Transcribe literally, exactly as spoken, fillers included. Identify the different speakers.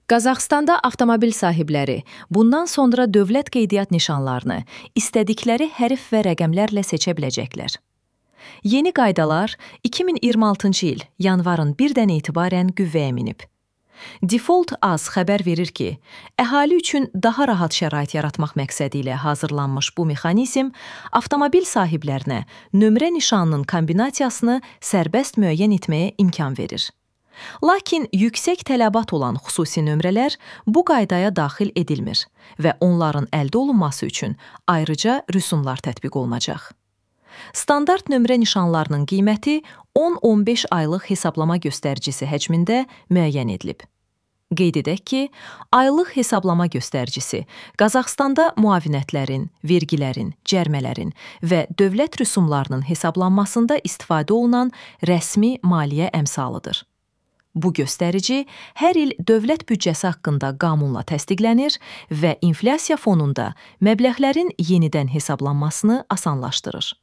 Speaker 1: Qazaxstanda avtomobil sahibləri bundan sonra dövlət qeydiyyat nişanlarını istədikləri hərf və rəqəmlərlə seçə biləcəklər. Yeni qaydalar iki min iyirmi altıncı il yanvarın birdən etibarən qüvvəyə minib. Default Az xəbər verir ki, əhali üçün daha rahat şərait yaratmaq məqsədi ilə hazırlanmış bu mexanizm avtomobil sahiblərinə nömrə nişanının kombinasiyasını sərbəst müəyyən etməyə imkan verir. Lakin yüksək tələbat olan xüsusi nömrələr bu qaydaya daxil edilmir və onların əldə olunması üçün ayrıca rüsumlar tətbiq olunacaq. Standart nömrə nişanlarının qiyməti on on beş aylıq hesablama göstəricisi həcmində müəyyən edilib. Qeyd edək ki, aylıq hesablama göstəricisi Qazaxstanda müavinətlərin, vergilərin, cərmələrin və dövlət rüsumlarının hesablanmasında istifadə olunan rəsmi maliyyə əmsalıdır. Bu göstərici hər il dövlət büdcəsi haqqında qanunla təsdiqlənir və inflyasiya fonunda məbləğlərin yenidən hesablanmasını asanlaşdırır.